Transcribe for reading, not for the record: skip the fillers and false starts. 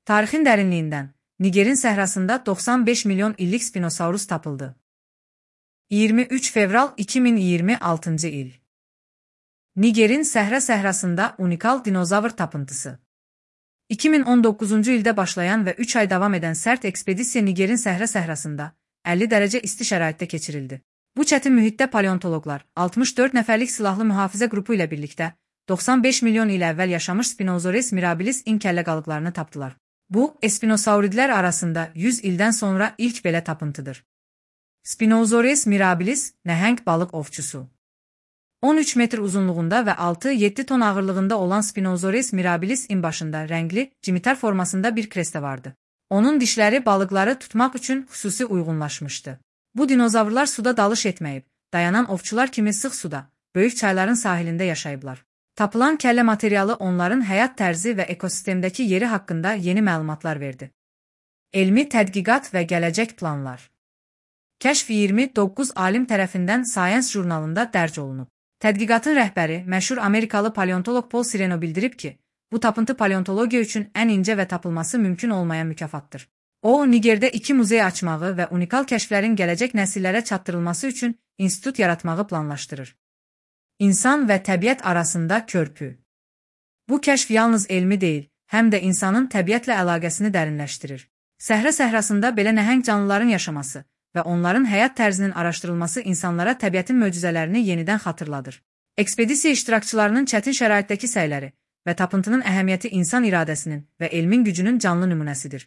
Tarixin dərinliyindən Nigerin səhrasında 95 milyon illik spinosaurus tapıldı. 23 fevral 2026 il. Nigerin səhrasında unikal dinozavr tapıntısı. 2019-cu ildə başlayan və 3 ay davam edən sərt ekspedisiya Nigerin səhrasında 50 dərəcə isti şəraitdə keçirildi. Bu çətin mühitdə paleontoloqlar 64 nəfərlik silahlı mühafizə qrupu ilə birlikdə 95 milyon il əvvəl yaşamış Spinosaurus mirabilis kəllə qalıqlarını tapdılar. Bu, espinosauridlər arasında 100 ildən sonra ilk belə tapıntıdır. Spinosaurus mirabilis, nəhəng balıq ovçusu. 13 metr uzunluğunda və 6-7 ton ağırlığında olan Spinosaurus mirabilis başında rəngli, cimitar formasında bir krestə vardı. Onun dişləri balıqları tutmaq üçün xüsusi uyğunlaşmışdı. Bu dinozavrlar suda dalış etməyib, dayanan ovçular kimi sıx suda, böyük çayların sahilində yaşayıblar. Tapılan kəllə materialı onların həyat tərzi və ekosistemdəki yeri haqqında yeni məlumatlar verdi. Elmi tədqiqat və gələcək planlar. Kəşf 29 alim tərəfindən Science jurnalında dərc olunub. Tədqiqatın rəhbəri, məşhur Amerikalı paleontoloq Paul Sereno bildirib ki, bu tapıntı paleontologiya üçün ən incə və tapılması mümkün olmayan mükafatdır. O, Nigerdə 2 muzey açmağı və unikal kəşflərin gələcək nəsillərə çatdırılması üçün institut yaratmağı planlaşdırır. İnsan və təbiət arasında körpü. Bu kəşf yalnız elmi deyil, həm də insanın təbiətlə əlaqəsini dərinləşdirir. Səhrasında belə nəhəng canlıların yaşaması və onların həyat tərzinin araşdırılması insanlara təbiətin möcüzələrini yenidən xatırladır. Ekspedisiya iştirakçılarının çətin şəraitdəki səyləri və tapıntının əhəmiyyəti insan iradəsinin və elmin gücünün canlı nümunəsidir.